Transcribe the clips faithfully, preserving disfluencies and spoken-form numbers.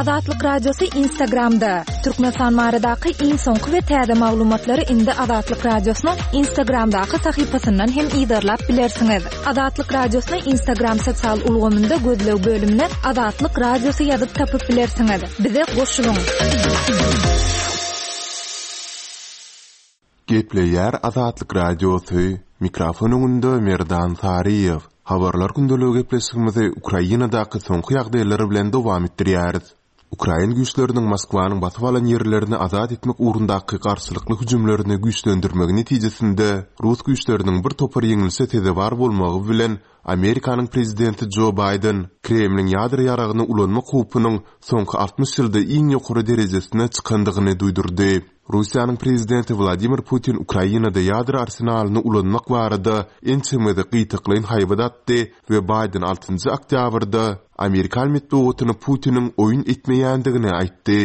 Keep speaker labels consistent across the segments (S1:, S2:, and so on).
S1: Azatlyk Radiosy Instagramda. Türkmenistan baradaky iň soňky we täze maglumatlary indi Azatlyk Radiosynyň Instagramdaky sahypasyndan hem yzarlap bilersiňiz. Azatlyk Radiosyny Instagram sosial ulgamynda gözleg bölümine Azatlyk Radiosy ýazyp tapyp bilersiňiz. Bize goşulyň.
S2: Gepleýär Azatlyk Radiosy. Mikrofon öňünde Merdan Saryýew. Habarlar gündeligi gepleşigimizi Ukrainadaky soňky ýagdaýlar bilen dowam etdirýäris. Ukrain güýçleriniň Moskwanyň basyp alan ýerlerini azat etmek ugrundaky garşylykly hüjümlerini güýçlendirmegi netijesinde rus güýçleriniň bir topar ýeňilişe sezewar bolmagy bilen Amerikanyň prezidenti Jo Baýden Kremliň ýadro ýaragyny ulanmak howpunyň soňky altmyş ýylda iň ýokary derejesine çykandygyny duýdurdy. Russiýanyň prezidenti Wladimir Putin Ukrainada ýadro arsenalyny ulanmak barada ençeme gezek gytaklaýyn haýbat atdy we Baýden altynjy oktýabrda amerikan metbugatyna Putiniň oýun etmeýändigini aýtdy.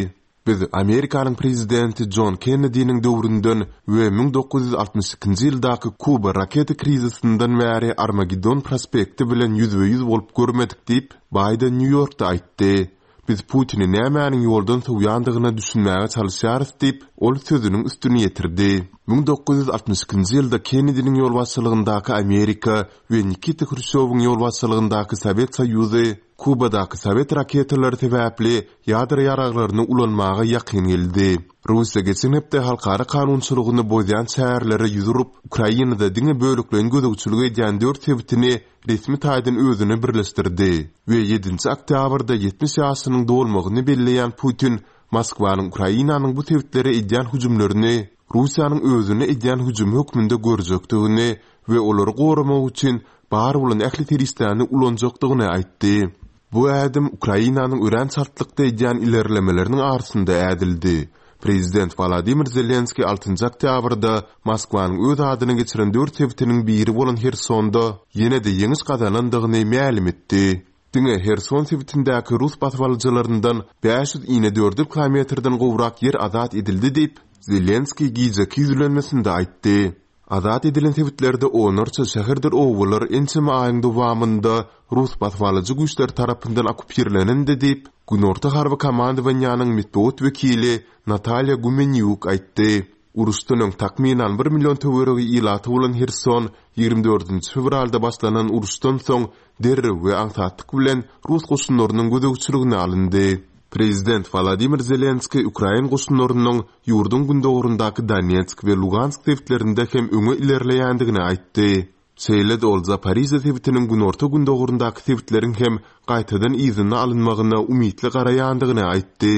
S2: Biz Amerikanyň prezidenti Jon Kennediniň döwründen we müň dokuz ýüz altmyş ikinji ýyldaky Kuba raketa krizisinden bäri Armageddon prospekti bilen ýüzbe-ýüz bolup görmedik diýip, Baýden Nýu-Ýorkda aýtdy. Biz Putini nämäniň ýoldan sowýandygyna düşünmäge çalyşýarys diýip, ol sözüniň üstüni ýetirdi. Müň dokuz ýüz altmyş ikinji ýylda Kennediniň ýolbaşçylygyndaky Amerika we Nikita Hruşýowyň ýolbaşçylygyndaky Sowet Soýuzy Kubadaky sowet raketalary sebäpli ýadro ýaraglaryny ulanmaga ýakyn geldi. Russiýa geçen hepde halkara kanunçylygyny bozýan çärelere ýüz urup, Ukrainada diňe bölekleýin gözegçilik edýän dört sebitini resmi taýdan özüne birleşdirdi we ýedinji oktýabrda ýetmiş ýaşynyň dolmagyny belleýän Putin Moskwanyň Ukrainanyň bu sebitlere edýän hüjümlerini Russiýanyň özüne edýän hüjümi hökmünde görjekdigini we olary goramak üçin bar bolan ähli serişdäni ulanjakdygyny aýtdy. Bu ädim Ukrainanyň örän çaltlykda edýän ilerlemeleriniň arasynda ädildi. Prezident Wladimir Zelenskiý altynjy oktýabrda Moskwanyň öz adyna geçiren dört sebitiniň biri bolan Hersonda ýene-de ýeňiş gazanandygyny mälim etdi. Diňe Herson sebitindäki rus basybalyjylaryndan bäş ýüz inedördül kilometrden gowrak ýer azat edildi diýip, Zelenskiý gijeki ýüzlenmesinde aýtdy. Azat edilen sebitlerde onlarça şäherdir obalar ençeme aýyň dowamynda rus basybalyjy güýçleri tarapyndan okupirlenendi diýip, Günorta harby komandowaniýanyň metbugat wekili Natalýa Gumenýuk aýtdy. Uruşdan öň takmynan bir million töweregi ilaty bolan Herson ýigrimi dördünji fewralda başlanan uruşdan soň derrew we aňsatlyk bilen rus goşunlarynyň gözegçiligine alyndy. Prezident Wladimir Zelenskiý ukrain goşunlarynyň ýurduň gündogaryndaky Donetsk we Lugansk sebitlerinde hem öňe ilerleýändigini aýtdy. Şeýle-de ol Zaporižýa sebitiniň günorta-gündogaryndaky sebitleriň hem gaýtadan yzyna alynmagyna umytly garaýandygyny aýtdy.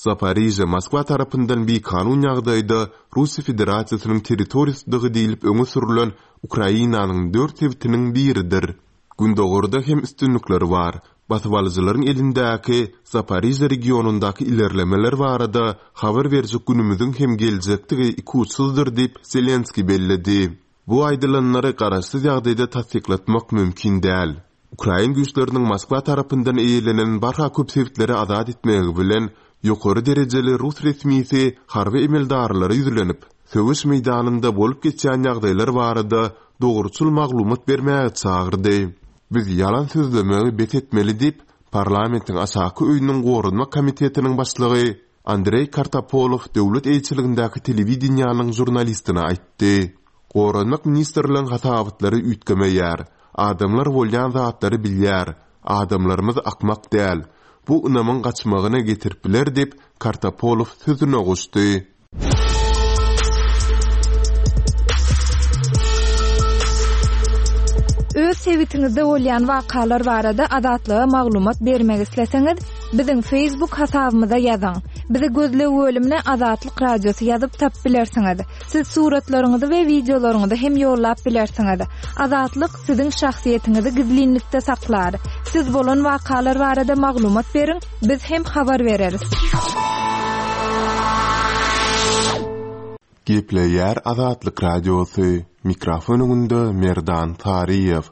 S2: Zaporižýa Moskwa tarapyndan bikanun ýagdaýda Russiýa Federasiýasynyň territoriýasydygy diýlip öňe sürülen Ukrainanyň dört sebitiniň biridir. Gündogarda hem üstünlikler bar. Basybalyjylaryň elindäki Zaporižýa regionyndaky ilerlemeler barada habar berjek günümiziň hem geljekdigi ikuçsuzdyr diýip Zelenskiý belledi. Bu aýdylanlary garaşsyz ýagdaýda tassyklatmak mümkin däl. Ukrain güýçleriniň Moskwa tarapyndan eýelenen barha köp sebitleri azat etmegi bilen ýokary derejeli rus resmisi harby emeldarlara ýüzlenip, söweş meýdanynda bolup geçýän ýagdaýlar barada dogruçyl maglumat bermäge çagyrdy. Biz ýalan sözlemegi bes etmeli diýip, parlamentiň aşaky öýüniň goranmak komitetiniň başlygy Andreý Kartapolow döwlet eýeçiligindäki telewideniýanyň žurnalistine aýtdy. Goranmak ministrligiň hasabatlary üýtgemeýär. Adamlar bolýan zatlary bilýär. Adamlarymyz akmak däl. Bu ynamyň gaçmagyna getirip biler diýip, Kartapolow sözüne goşdy.
S1: Öz sebitiňizde bolýan wakalar barada Azatlyga maglumat bermek isleseňiz, biziň Facebook hasabymyza ýazyň. Bizi gözleg bölümine Azatlyk Radiosy ýazyp tapyp bilersiňiz. Siz suratlaryňyzy we wideolaryňyzy hem ýollap bilersiňiz. Azatlyk siziň şahsyýetiňizi gizlinlikde saklar. Siz bolan wakalar barada maglumat beriň, biz hem habar bereris.
S2: Gepleýär Azatlyk Radiosy. Mikrofon öňünde Merdan Saryýew.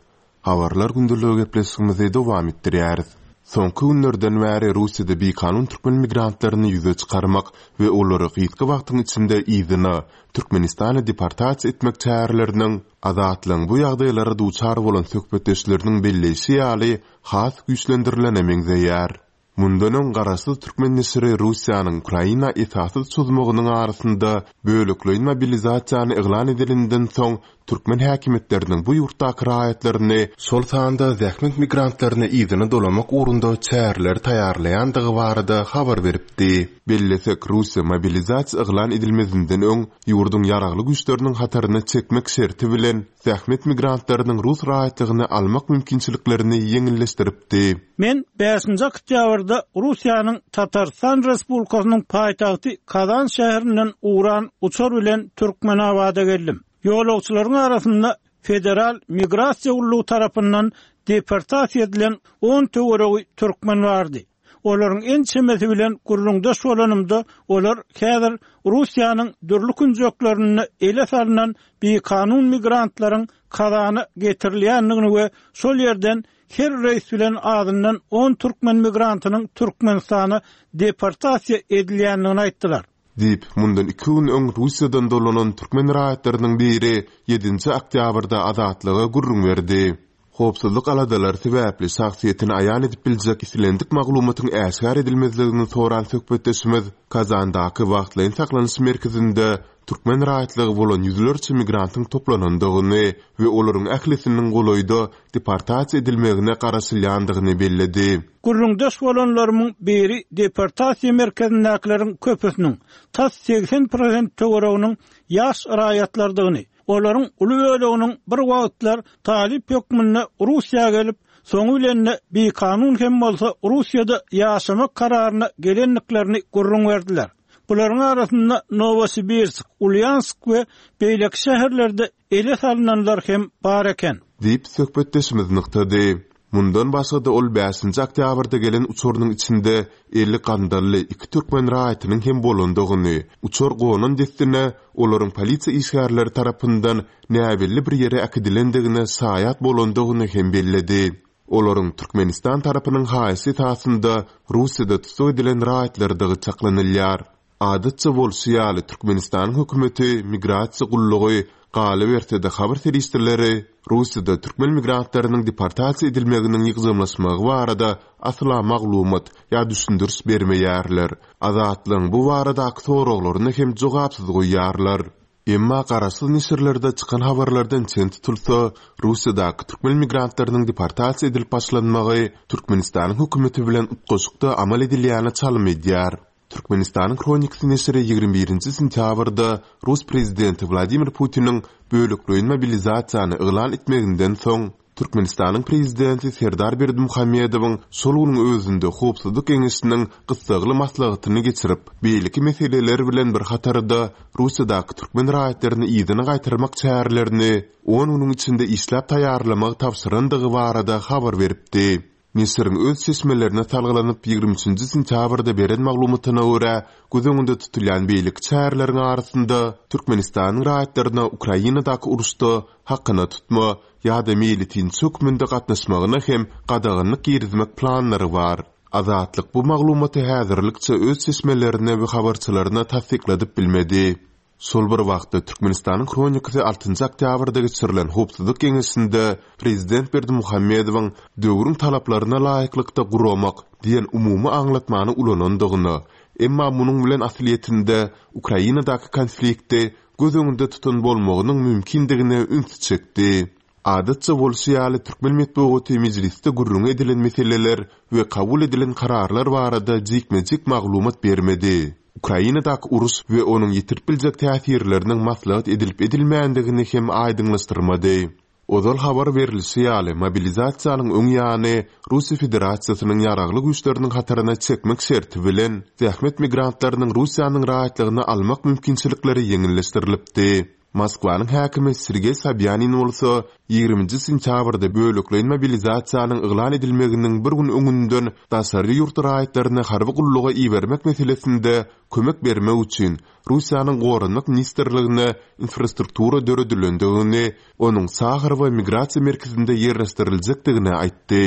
S2: Habarlar gündeligi gepleşigimizi dowam etdirýäris. Soňky günlerden bäri Russiýada bikanun türkmen migrantlaryny ýüze çykarmak we olary gysga wagtyň içinde yzyna Türkmenistana deportasiýa etmek çäreleriniň Azatlygyň bu ýagdaýlara duçar bolan söhbetdeşleriniň belleýşi ýaly has güýçlendirilene meňzeýär. Mundan öň garaşsyz türkmen neşiri Russiýanyň Ukraina esassyz çozmagynyň arasynda bölekleýin mobilizasiýany yglan edeninden soň türkmen häkimiýetleriniň bu ýurtdaky raýatlaryny, şol sanda zähmet migrantlaryny yzyna dolamak ugrunda çäreleri taýýarlaýandygy barada habar beripdi. Bellesek, Russiýa mobilizasiýa yglan edilmezinden öň ýurduň ýaragly güýçleriniň hataryna çekmek şerti bilen zähmet migrantlarynyň rus raýatlygyny almak mümkinçiliklerini ýeňilleşdiripdi.
S3: Men bäşinji oktýabrda Russiýanyň Tatarystan Respublikasynyň paýtagty Kazan şäherinden ugran uçar bilen Türkmenabada geldim. Ýolagçylaryň arasynda Federal migrasiýa gullugy tarapyndan deportasiýa edilen on töweregi türkmen bardy. Olaryň ençemesi bilen gürrüňdeş bolanymda, olar häzir Russiýanyň dürli künjeklerinde ele salnan bikanun migrantlaryň Kazana getirilýändigini we şol ýerden her reýs bilen azyndan on türkmen migrantynyň Türkmenistana deportasiýa edilýändigini aýtdylar.
S2: Diýip, mundan iki gün öň Russiýadan dolanan türkmen raýatlarynyň biri ýedinji oktýabrda Azatlyga gürrüň berdi. Howpsuzlyk aladalary sebäpli şahsyýetini aýan edip biljek islendik maglumatyň äşgär edilmezligini soran söhbetdeşimiz Kazandaky wagtlaýyn saklanyş merkezinde türkmen raýatlygy bolan ýüzlerçe migrantyň toplanandygyny we olaryň ählisiniň golaýda deportasiýa edilmegine garaşylýandygyny belledi.
S3: Gürrüňdeş bolanlarymyň biri deportasiýa merkezindäkileriň köpüsiniň tas segsen prosent töwereginiň ýaş raýatlardygyny, olaryň uly böleginiň bir wagtlar talyp hökmünde Russiýa gelip, soňy bilen-de bikanun hem bolsa Russiýada ýaşamak kararyna gelendiklerini gürrüň berdiler. Bularyň arasynda Nowosibirsk, Ulýansk we beýleki şäherlerde ele salynanlar hem bar eken.
S2: Diýip söhbetdeşimiz nygtady. Mundan başga-da ol bäşinji oktýabrda gelen uçarynyň içinde elli gandally iki türkmen raýatynyň hem bolandygyny, uçar gonan dessine olaryň polisiýa işgärleri tarapyndan näbelli bir ýere äkidilendigine şaýat bolandygyny hem belledi. Olaryň Türkmenistan tarapynyň haýyşy esasynda Russiýada tussag edilen raýatlardygy çaklanylýar. Adatça bolşy ýaly Türkmenistanyň hökümeti, migrasiýa gullugy, galyberse-de habar serişdeleri Russiýada türkmen migrantlarynyň deportasiýa edilmeginiň ýygjamlaşmagy barada asla maglumat ýa düşündiriş bermeýärler. Azatlygyň bu baradaky soraglaryny hem jogapsyz goýýarlar. Emma garaşsyz neşirlerde çykan habarlardan çen tutulsa, Russiýadaky türkmen migrantlarynyň deportasiýa edilip başlanmagy Türkmenistanyň hökümeti bilen utgaşykda amal edilýäne çalym edýär. Türkmenistanyň Hronikasy neşiri ýigrimi birinji sentýabrda Rus prezidenti Wladimir Putiniň bölekleýin mobilizasiýany yglan etmeginden soň Türkmenistanyň prezidenti Serdar Berdimuhamedowyň şol günüň özünde Howpsuzlyk Geňeşiniň gyssagly maslahatyny geçirip, beýleki meseleler bilen bir hatarda Russiýadaky türkmen raýatlaryny yzyna gaýtarmak çärelerini on günüň içinde işläp taýýarlamagy tabşyrandygy barada habar beripdi. Neşiriň öz çeşmelerine salgylanyp ýigrimi üçünji sentýabrda beren maglumatyna görä, göz öňünde tutulýan beýleki çäreleriň arasynda Türkmenistanyň raýatlaryna Ukrainadaky uruşda hakyna tutma ýa-da meýletinçi hökmünde gatnaşmagyna hem gadaganlyk girizmek planlary bar. Azatlyk bu maglumaty häzirlikçe öz çeşmelerine we habarçylaryna tassykladyp bilmedi. Şol bir wagtda Türkmenistanyň Hronikasy altynjy oktýabrda geçirilen Howpsuzlyk Geňeşinde Prezident Berdimuhamedowyň döwrüň talaplaryna laýyklykda guramak diýen umumy aňlatmany ulanandygyna, emma munuň bilen aslyýetinde Ukrainadaky konflikti göz öňünde tutan bolmagynyň mümkindigine üns çekdi. Adatça bolşy ýaly türkmen metbugaty mejlisde gürrüň edilen meseleler we kabul edilen kararlar barada jikme-jik maglumat bermedi. Ukrainadaky uruş we onuň ýetirip biljek täsirleriniň maslahat edilip edilmändigini hem aýdyňlaşdyrmady. Ozal habar berilişi ýaly mobilizasiýanyň öň ýany Russiýa Federasiýasynyň ýaragly güýçleriniň hataryna çekmek şerti bilen zähmet migrantlarynyň Russiýanyň raýatlygyny almak mümkinçilikleri ýeňilleşdirilipdi. Moskwanyň häkimi Sergeý Sobýanin bolsa ýigriminji sentýabrda bölekleýin mobilizasiýanyň yglan edilmeginiň bir gün öňünden daşary ýurt raýatlaryny harby gulluga ibermek meselesinde kömek bermek üçin Russiýanyň Goranmak ministrligine infrastruktura döredilendigini, onuň Saharowa migrasiýa merkezinde ýerleşdiriljekdigini aýtdy.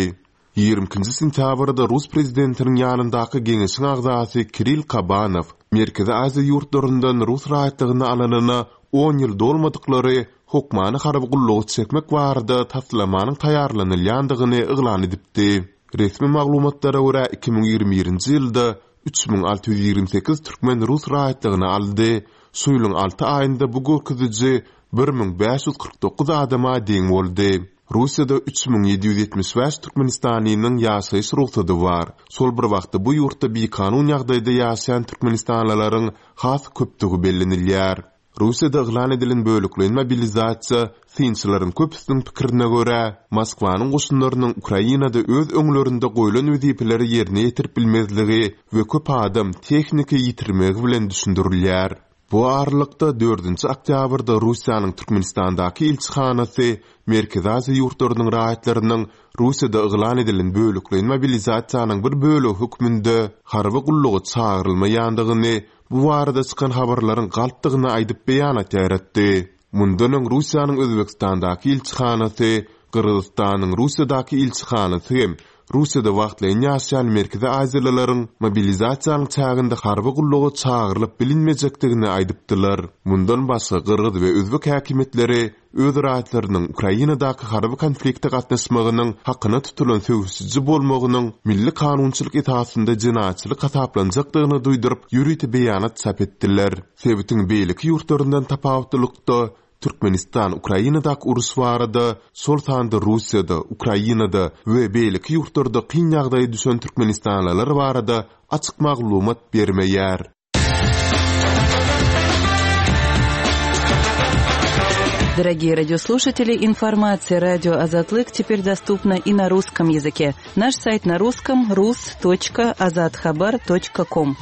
S2: Ýigrimi ikinji sentýabrda Rus prezidentiniň ýanyndaky geňeşiň agzasy Kirill Kabanow Merkezi Aziýa ýurtlaryndan rus raýatlygyny alanyna on ýyl dolmadyklary hökmany harby gullugy çekmek barada taslamanyň taýýarlanylýandygyny yglan edipdi. Resmi maglumatlara görä iki müň ýigrimi birinji ýylda üç müň alty ýüz ýigrimi sekiz türkmen rus raýatlygyny aldy. Şu ýylyň alty aýynda bu görkeziji bir müň bäş ýüz kyrk dokuz adama deň boldy. Russiýada üç müň ýedi ýüz ýetmiş bäş türkmenistanlynyň ýaşaýyş rugsady bar. Şol bir wagtda bu ýurtda bikanun ýagdaýda ýaşaýan türkmenistanlylaryň has köpdügi bellenilýär. Russiýada yglan edilen bölekleýin mobilizasiýa synçylaryň köpüsiniň pikirine görä, Moskwanyň goşunlarynyň Ukrainada öz öňlerinde goýlan wezipeleri ýerine ýetirip bilmezligi we köp adam tehniki ýitirmegi bilen düşündirilýär. Bu aralykda dördünji oktýabrda Russiýanyň Türkmenistandaky ilçihanasy Merkezi Aziýa ýurtlarynyň raýatlarynyň Russiýada yglan edilen bölekleýin mobilizasiýanyň bir bölegi hökmünde harby gulluga çagyrylmaýandygyny, bu barada çykan habarlaryň galpdygyny aýdyp beýanat ýaýratdy. Mundan öň Russiýanyň Özbekistandaky ilçihanasy, Gyrgyzystanyň Russiýadaky ilçihanasy hem Russiýada wagtlaýyn ýaşaýan Merkezi Aziýalylaryň mobilizasiýanyň çäginde harby gulluga çagyrylyp bilinmejekdigini aýdypdylar. Mundan başga Gyrgyz we Özbek häkimiýetleri öz raýatlarynyň Ukrainadaky harby konflikte gatnaşmagynyň hakyna tutulan söweşiji bolmagynyň milli kanunçylyk esasynda jenaýatçylyk hasaplanjakdygyny duýduryp, ýörite beýanat çap etdiler. Sebitiň beýleki ýurtlaryndan tapawutlylykda Türkmenistan Ukrainadaky uruş barada, şol sanda Russiýada, Ukrainada we beýleki ýurtlarda kyn ýagdaýa düşen türkmenistanlylar barada açyk maglumat bermeýär.
S4: Дорогие радиослушатели, информация радио Азатлык теперь доступна и на русском языке. Наш сайт на русском рус точка азатхабар точка ком.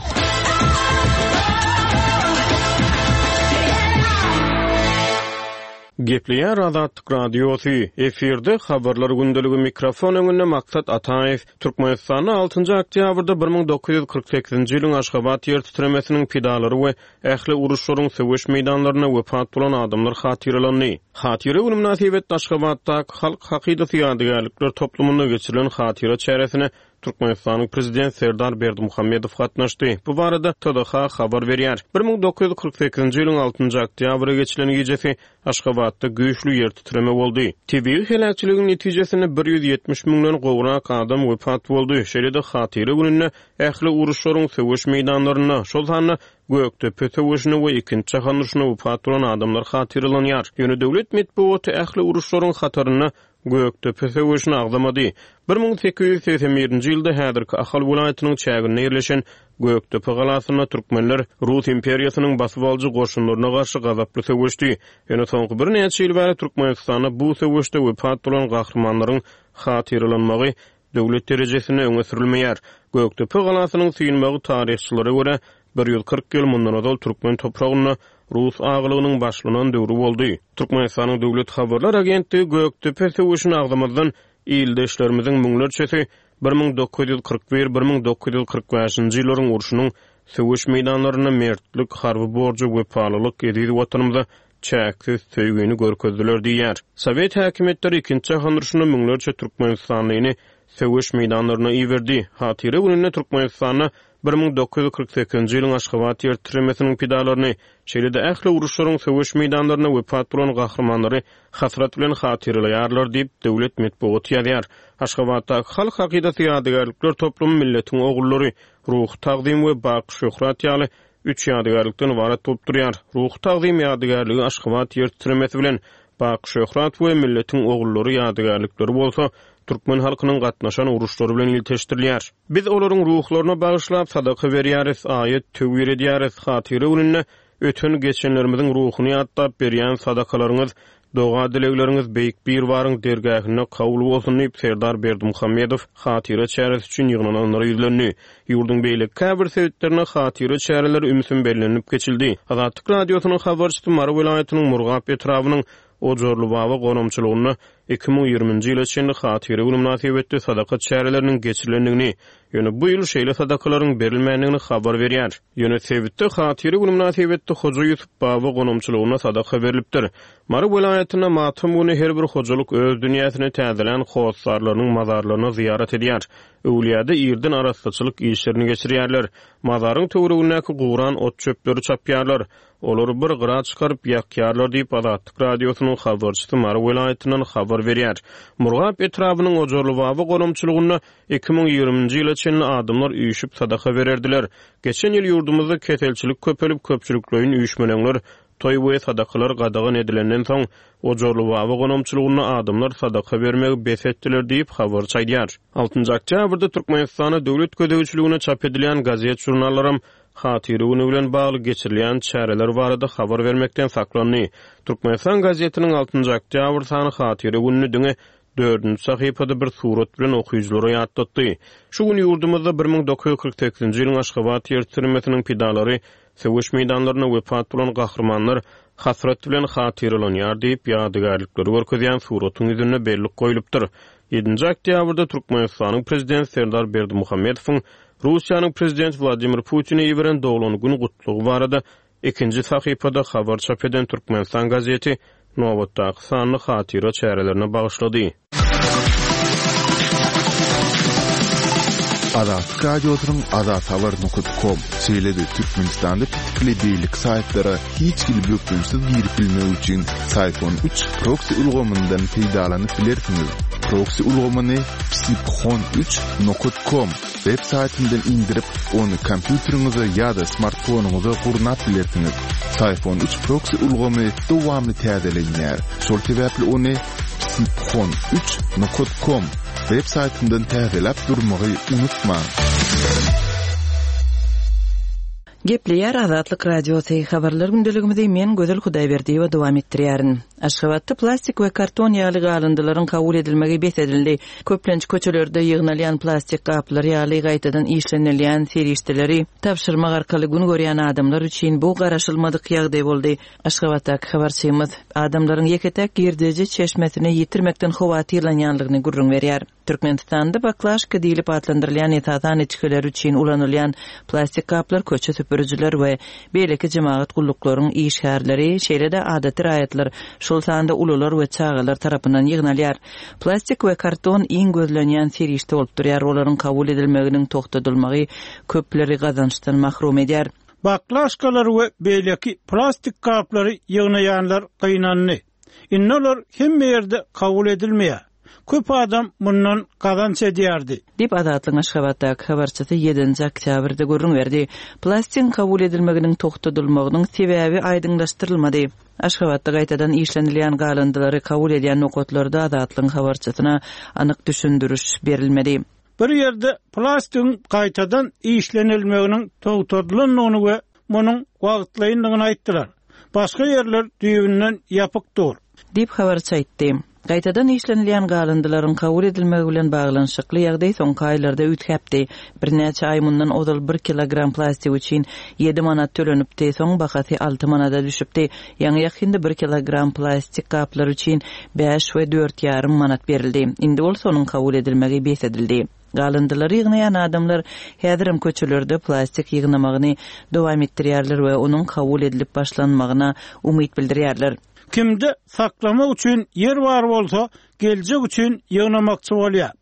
S5: Gepleýär Azatlyk Radiosy, efirde habarlar gündeligi mikrofon öňünde Maksat Ataýew. Türkmenistanda altynjy oktýabrda bir müň dokuz ýüz kyrk sekizinji ýylyň Aşgabat ýer titremesiniň pidalary we ähli uruşlaryň söweş meýdanlarynda wepat bolan adamlar hatyralandy. Hatyra günü mynasybetli Aşgabatdaky Halk Hakydasy ýadygärlikler toplumynda geçirilen hatyra çäresine Türkmenistanyň Prezident Serdar Berdimuhamedow gatnaşdy. Bu barada T D H habar berýär. bir müň dokuz ýüz kyrk sekizinji ýylyň altynjy oktýabra geçilen gijesi Aşgabatda güýçli ýer titreme boldy. Tebigy heläkçiligiň netijesinde bir ýüz ýetmiş müňden gowrak adam wepat boldy. Şeýle-de hatyra gününde ähli uruşlaryň söweş meýdanlarynda, şol sanda Gökdepe söweşine we ikinji jahan urşuna wepat bolan adamlar hatyralanýar. Ýöne döwlet metbugaty ähli uruşlaryň hatarynda Gökdepe söweşini agzamady. bir müň sekiz ýüz segsen birinji ýylda häzirki Ahal welaýatynyň çäginde ýerleşen Gökdepe galasynda türkmenler Rus imperiýasynyň basyp alyjy goşunlaryna garşy gazaply söweşdi. Ýöne soňky birnäçe ýyl bäri Türkmenistanda bu söweşde wepat bolan gahrymanlaryň hatyralanmagy döwlet derejesinde öňe sürülmeýär. Gökdepe galasynyň synmagy taryhçylara görä bir ýüz kyrk ýyl mundan ozal türkmen topragynda Rus ağalygynyň başlanan döwri boldy. Türkmenistanyň Döwlet Habarlar Agentligi Gökdepe söweşini agzamazdan ildeşlerimiziň müňlerçesi bir müň dokuz ýüz kyrk bir, bir müň dokuz ýüz kyrk bäşinji ýyllaryň urşunyň söweş meýdanlarynda mertlik, harby borjy, wepalylyk, eziz watanymyza çäksiz söýgini görkezdiler diýär. Sowet häkimiýetleri ikinji jahan urşunda müňlerçe Türkmenistanlyny söweş meýdanlaryna iberdi. Hatyra gününde Türkmenistanda bir müň dokuz ýüz kyrk sekizinji ýylyň Aşgabat ýer titremesiniň pidalaryny, şeýle-de ähli uruşlaryň söweş meýdanlaryna wepat bolan gahrymanlary hasrat bilen hatyralaýarlar diýip döwlet metbugaty ýazýar. Aşgabatdaky Halk Hakydasy ýadygärlikler toplumy milletiň ogullary, ruhy tagzym we baky şöhrat ýaly üç ýadygärlikden ybarat bolup durýar. Ruhy tagzym ýadygärligi Aşgabat ýer titremesi bilen baky şöhrat we milletiň ogullary ýadygärlikleri bolsa türkmen halkynyň gatnaşan uruşlary bilen ilteşdirilýär. Biz olaryň ruhlaryna bagyşlap sadaka berýäris, aýat töwir edýäris. Hatyra gününde öten geçenlerimiziň ruhuny ýatlap berýän sadakalaryňyz, doga dilegleriňiz beýik bir baryň dergähinde kabul bolsun diýip Serdar Berdimuhamedow hatyra çäresi üçin ýygnananlara ýüzlendi. Ýurduň beýleki käbir sebitlerinde hatyra çäreleri ümsüm bellenilip geçildi. Azatlyk Radiosynyň habarçysy Mary welaýatynyň Murgap etrabynyň Ojarly Baba gonamçylygynda iki müň ýigriminji ýyla çenli hatyra günü mynasybetli sadaka çäreleriniň geçirilendigini, ýöne bu ýyl şeýle sadakalaryň berilmändigini habar berýär. Ýöne sebitde hatyra günü mynasybetli Hoja Ýusup Baba gonamçylygynda sadaka berilipdir. Mary welaýatynda matam güni her bir hojalyk öz dünýäsini täzelän hossarlarynyň mazarlaryna zyýarat edýär. Öwlüýäde irden arassaçylyk işlerini geçirýärler. Mazaryň töweregindäki guran ot çöpleri çapýarlar. Olary bir gyra çykaryp ýakýarlar diýip Azatlyk Radiosynyň habarçysy Mary welaýatyndan habar habar berýär. Murgap etrabynyň Ojarlybaba gonamçylygynda iki müň ýigriminji ýyla çenli adamlar üýşüp sadaka bererdiler. Geçen ýyl ýurdumyzda keselçilik köpelip, köpçülikleýin üýşmeleňler, toý we sadakalar gadagan edilenden soň, Ojarlybaba gonamçylygynda adamlar sadaka bermegi bes etdiler diýip habarçy aýdýar. Altynjy oktýabrda Türkmenistanda döwlet gözegçiligine çap edilýän gazet-žurnallaram Hatyra güni bilen bagly geçirilýän çäreler barada habar bermekden saklandy. Türkmenistan gazetiniň altynjy oktýabr sany Hatyra gününi diňe dördünji sahypada bir surat bilen okyjylara ýatlatdy. Şu gün ýurdumyzda bir müň dokuz ýüz kyrk sekizinji ýylyň Aşgabat ýer titremesiniň pidalary, söweş meýdanlarynda wepat bolan gahrymanlar hasrat bilen hatyralanýar diýip, ýadygärlikleri görkezýän suratyň ýüzünde bellik goýlupdyr. Ýedinji oktýabrda Türkmenistanyň prezidenti Serdar Berdimuhamedowyň Russiýanyň prezidenti Wladimir Putine iberen doglan gün gutlugy barada ikinji sahypada habar çap eden Türkmenistan gazeti nobatdaky sanly hatyra çärelerine bagyşlady.
S2: Azatlyk Radiosynyň azathabar nokta com, şeýle-de Türkmenistanda petikli beýleki saýtlara hiç hili bökdençsiz girip bilmek üçin Syfon üç proksi ulgamyndan peýdalanyp bilersiňiz. Proksi ulgamyny psiphon üç nokta com web saýtyndan indirip, ony kompýuteriňize ýa-da smartfonyňyza gurnap bilersiňiz. Syfon üç proksi ulgamy dowamly täzelenýär. Şol sebäpli ony psiphon üç nokta com web saýtyndan täzeläp durmagy unutmaň.
S4: Gepleýär Azatlyk Radiosy. Habarlar gündeligimizi men Gözel Hudaýberdiýewa dowam etdirýärin. Aşgabatda plastik we karton ýaly galyndylaryň kabul edilmegi bes edildi. Köplenç köçelerde ýygnalýan plastik gaplar ýaly gaýtadan işlenilýän serişdeleri tabşyrmak arkaly gün görýän adamlar üçin bu garaşylmadyk ýagdaý boldy. Aşgabatdaky habarçymyz adamlaryň ýeke-tek girdeji çeşmesini ýitirmekden howatyrlanýanlygyny gürrüň berýär. Türkmenistanda baklaşka diýlip atlandyrylýan esasan içgiler üçin ulanylýan plastik gaplar köçe süpürijiler we beýleki jemagat gulluklaryň işgärleri, şeýle-de adaty raýatlar, şol sanda ulular we çagalar tarapyndan ýygnalýar. Plastik we karton iň gözlenýän serişde bolup durýar. Olaryň kabul edilmeginiň togtadylmagy köpleri gazançdan mahrum edýär.
S3: Baklaşkalar we beýleki plastik gaplary ýygnaýanlar gynandy. Indi olar hemme ýerde kabul edilmeýär. Köp adam mundan gazanç edýärdi.
S4: Diýip Azatlygyň Aşgabatdaky habarçysy ýedinji oktýabrda gürrüň berdi. Plastigiň kabul edilmeginiň togtadylmagynyň sebäbi aýdyňlaşdyrylmady. Aşgabatda gaýtadan işlenilýän galyndylary kabul edýän nokatlarda Azatlygyň habarçysyna anyk düşündiriş berilmedi.
S3: Bir ýerde plastigiň gaýtadan işlenilmeginiň togtadylandygyny we munuň wagtlaýyndygyny aýtdylar. Başga ýerler düýbünden ýapyk dur.
S4: Diýip habarçy aýtdy. Gaýtadan işlenilýän galyndylaryň kabul edilmegi bilen baglanyşykly ýagdaý soňky aýlarda üýtgäpdi. Birnäçe aý mundan ozal bir kilogram plastik üçin ýedi manat tölenipdi, soň bahasy alty manada düşüpdi. Ýaňy ýakynda bir kilogram plastik gaplar üçin bäş we dört ýarym manat berildi. Indi bolsa onuň kabul edilmegi bes edildi. Galyndylary ýygnaýan adamlar häzirem köçelerde plastik ýygnamagyny dowam etdirýärler we onuň kabul edilip başlanmagyna umyt bildirýärler.
S3: Kimde saklamak üçin ýer bar bolsa, geljek üçin ýygnamakçy bolýar.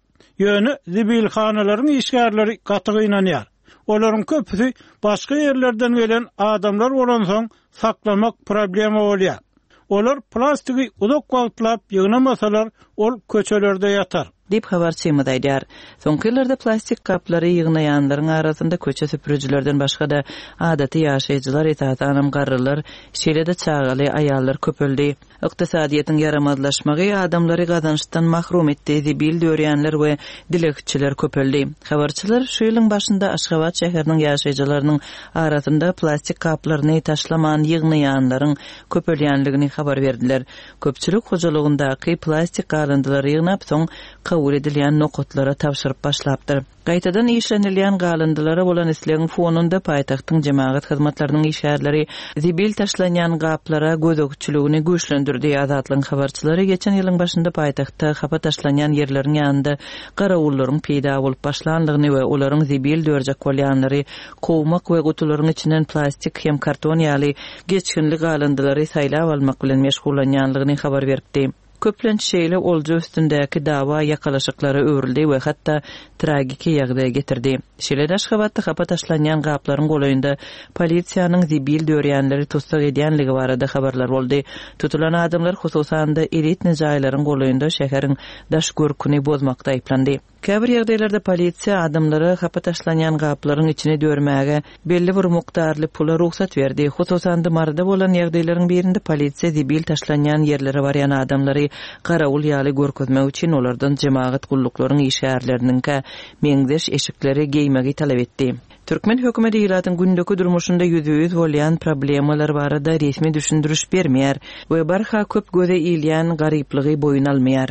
S3: Ýöne zibilhanalaryň işgärleri gaty gynanýar. Olaryň köpüsi başga ýerlerden gelen adamlar bolansoň saklamak problema bolýar. Olar plastigi uzak wagtlap ýygnamasalar, ol köçelerde ýatar.
S4: Diýip habarçymyz aýdýar. Soňky ýyllarda plastik gaplary ýygnaýanlaryň arasynda köçe süpürijilerden başga-da adaty ýaşaýjylar, esasanam garrylar, şeýle-de çagaly aýallar köpeldi. Ykdysadyýetiň ýaramazlaşmagy adamlary gazançdan mahrum etdi, zibil dörýänler we dilegçiler köpeldi. Habarçylar şu ýylyň başynda Aşgabat şäheriniň ýaşaýjylarynyň arasynda plastik gaplaryny taşlaman ýygnaýanlaryň köpelýänligini habar berdiler. Köpçülik hojalygyndaky plastik galyndylary ýygnap, soň kabul edilýän nokatlara tabşyryp başlapdyr. Gaýtadan işlenilýän galyndylara bolan islegiň fonunda paýtagtyň jemagat hyzmatlarynyň işgärleri zibil taşlanýan gaplara gözegçiligini güýçlendirdi. Azatlygyň habarçylary geçen ýylyň başynda paýtagtda hapa taşlanýan ýerleriň ýanynda garawullaryň peýda bolup başlandygyny we olaryň zibil dörjek bolýanlary kowmak we gutularyň içinden plastik hem karton ýaly geçginli galyndylary saýlap almak bilen meşgullanýanlygyny habar beripdi. Köplenç şeýle olja üstündäki dawa ýakalaşyklara öwrüldi we hatda tragiki ýagdaýa getirdi. Şeýle-de Aşgabatda hapa taşlanýan gaplaryň golaýynda polisiýanyň zibil dörýänleri tussag edýänligi barada habarlar boldy. Tutulan adamlar hususan-da elitni jaýlaryň golaýynda şäheriň daş görküni bozmakda aýyplandy. Käbir ýagdaýlarda polisiýa adamlara hapa taşlanýan gaplaryň içine dörmäge belli bir mukdarly pula rugsat berdi. Hususan-da Maryda bolan ýagdaýlaryň birinde polisiýa zibil taşlanýan ýerlere barýan adamlary garawul ýaly görkezmek üçin olardan jemagat gulluklaryň işgärleriniňkä meňzeş eşikleri geýmegi talap etdi. Türkmen hökümeti ilatyň gündeki durmuşynda ýüzbe-ýüz bolýan problemalar barada resmi düşündiriş bermeýär we barha köp göze ilýän garyplygy boýun almaýar.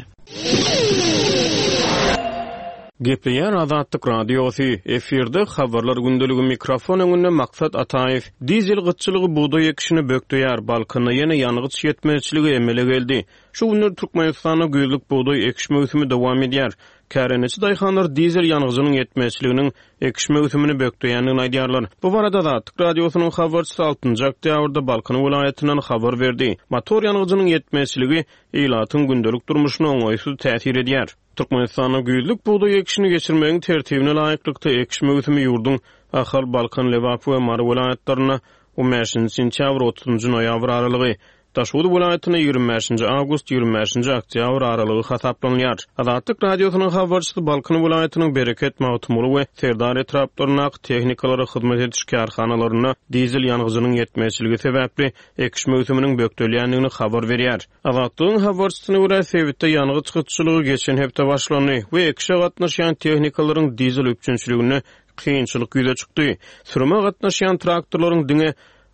S5: Gepleýär Azatlyk Radiosy, efirde habarlar gündeligi mikrofon öňünde Maksat Ataýew. Dizel gytçylygy bugdaý ekişini bökdeýär, Balkanda ýene ýangyç ýetmezçiligi emele geldi. Şu günler Türkmenistanda güýzlük bugdaý ekiş möwsümi dowam edýär. Kärendeçi daýhanlar dizel ýangyjynyň ýetmezçiliginiň ekiş möwsümini bökdeýändigini aýdýarlar. Bu barada Azatlyk Radiosynyň habarçysy altynjy oktýabrda Balkan welaýatyndan habar berdi. Motor ýangyjynyň ýetmezçiligi ilatyň gündelik durmuşyna oňaýsyz täsir edýär. Türkmenistanda güýzlük bugdaý ekişini geçirmegiň tertibine laýyklykda ekiş möwsümi ýurduň Ahal, Balkan, Lebap we Mary welaýatlarynda on bäşinji sentýabr otuzynjy noýabr aralygy, Daşoguz welaýatynda ýigrimi bäşinji awgust ýigrimi bäşinji oktýabr aralygy hasaplanylýar. Azatlyk Radiosynyň habarçysy Balkan welaýatynyň Bereket, Magtymguly we Serdar etraplaryndaky tehnikalara hyzmat ediş kärhanalarynda dizel ýangyjynyň ýetmezçiligi sebäpli ekiş möwsüminiň bökdelýändigini habar berýär. Azatlygyň habarçysyna görä sebitde ýangyç gytçylygy geçen hepde başlandy we ekişe gatnaşýan tehnikalaryň dizel üpjünçiliginde kynçylyk ýüze çykdy. Sürüme gatnaşýan traktorlaryň diňe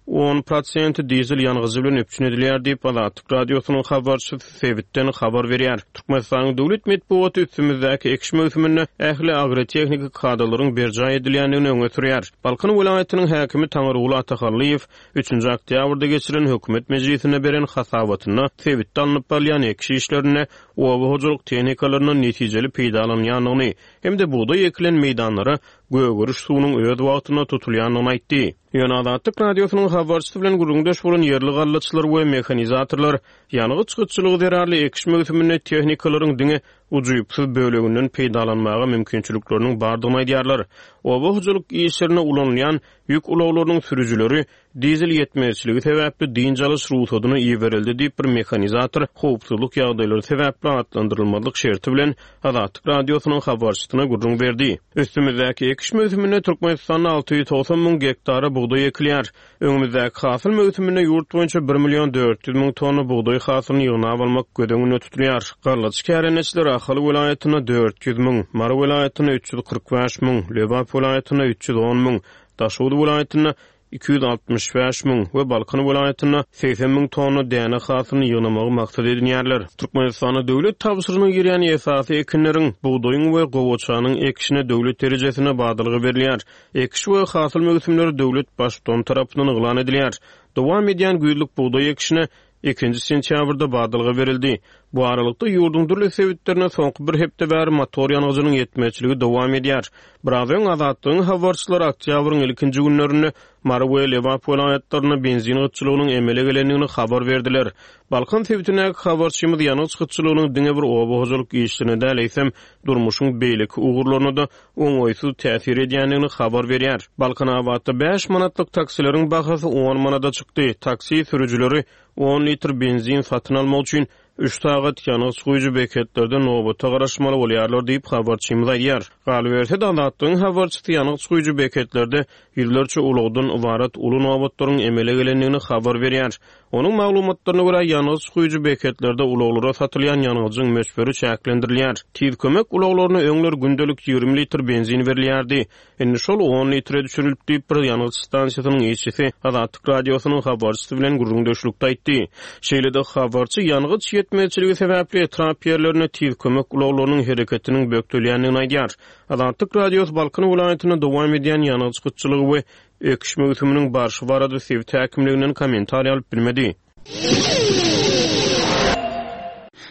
S5: on prosenti dizel ýangyjy bilen üpjün edilýär diýip Azatlyk Radiosynyň habarçysy sebitden habar berýär. Türkmenistanyň döwlet metbugaty üstümizdäki ekiş möwsüminde ähli agrotehniki kadalaryň berjaý edilýändigini öňe sürýär. Balkan welaýatynyň häkimi Taňryguly Atahallyýew üçünji oktýabrda geçirilen hökümet mejlisinde beren hasabatynda sebitde alnyp barylýan ekiş işlerinde oba hojalyk tehnikalaryndan netijeli peýdalanýandygyny hem-de bugdaý ekilen meýdanlara gögeriş suwunyň öz wagtynda tutulýandygyny aýtdy. Ýöne Azatlyk Radiosynyň habarçysy bilen gürrüňdeş bolan ýerli gallaçylar we mehanizatorlar ýangyç gytçylygy zerarly ekiş möwsüminde tehnikalaryň diňe ujypsyz böleginden peýdalanmaga mümkinçilikleriniň bardygyny aýdýarlar. Oba hojalyk işlerinde ulanylýan ýük ulaglarynyň sürüjileri dizel ýetmezçiligi sebäpli dynç alyş rugsadyny iberildi diýip bir mehanizator howpsuzlyk ýagdaýlary sebäpli atlandyrylmazlyk şerti bilen Azatlyk Radiosynyň habarçysyna gürrüň berdi. Üstümizdäki ekiş möwsüminde Türkmenistanda alty ýüz togsan müň gektara bugdaý ekilýär. Öňümizdäki hasyl möwsüminde ýurt boýunça bir million dört ýüz müň tonna bugdaý hasylyny ýygnap almak göz öňünde tutulýar. Gallaçy kärendeçiler Ahal welaýatynda dört ýüz müň, Mary welaýatynda üç ýüz kyrk bäş müň, Lebap welaýatynda üç ýüz on müň, Daşoguz welaýatynda iki ýüz altmyş bäş müň we Balkan welaýatynda segsen müň tonna däne hasylyny ýygnamagy maksat edinýärler. Türkmenistanda döwlet tabşyrygyna girýän esasy ekinleriň, bugdaýyň we gowaçanyň ekişine döwlet derejesinde badalga berilýär. Ekiş we hasyl möwsümleri döwlet baştutany tarapyndan yglan edilýär. Dowam edýän güýzlük bugdaý ekişine ikinji sentýabrda badalga berildi. Bu aralykda ýurduň dürli sebitlerine soňky bir hepde bäri motor ýangyjynyň ýetmezçiligi dowam edýär. Biraz öň Azatlygyň habarçylary oktýabryň ilkinji günlerinde Mary we Lebap welaýatlarynda benzin gytçylygynyň emele gelendigini habar berdiler. Balkan sebitindäki habarçymyz ýangyç gytçylygynyň diňe bir oba hojalyk işlerine däl, eýsem durmuşyň beýleki ugurlaryna da oňaýsyz täsir edýändigini habar berýär. Balkanabatda bäş manatlyk taksileriň bahasy on manada çykdy. Taksi sürüjileri on litr benzin satyn almak üçin üç sagat ýangyç guýujy beketlerde nobata garaşmaly bolýarlar diýip habarçymyz aýdýar. Galyberse-de Azatlygyň habarçysy ýangyç guýujy beketlerde ýüzlerçe ulagdan ybarat uly nobatlaryň emele gelendigini habar berýär. Onuň maglumatlaryna görä ýangyç guýujy beketlerde ulaglara satylýan ýangyjyň möçberi çäklendirilýär. Tiz kömek ulaglaryna öňler gündelik ýigrimi litr benzin berilýärdi. Indi şol on litre düşürilip diýip bir ýangyç stansiýasynyň işçisi Azatlyk Radiosynyň habarçysy bilen gürrüňdeşlikde aýtdy. Şeýle-de habarçy ýangyç ýetmezçiligi sebäpli etrap ýerlerine tiz kömek ulaglarynyň hereketiniň bökdelýändigini aýdýar. Azatlyk Radiosy Balkan welaýatynda dowam edýän ýangyç gytçylygy we ekiş möwsüminiň barşy barada sebit häkimliginden kommentariý alyp bilmedi.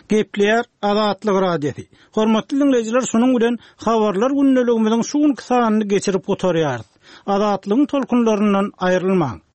S3: Gepleýär Azatlyk Radiosy. Hormatly dinleýjiler, şunuň bilen habarlar gündeligimiziň şu günki sanyny geçirip gutarýarys. Azatlygyň tolkunlaryndan aýrylmaň.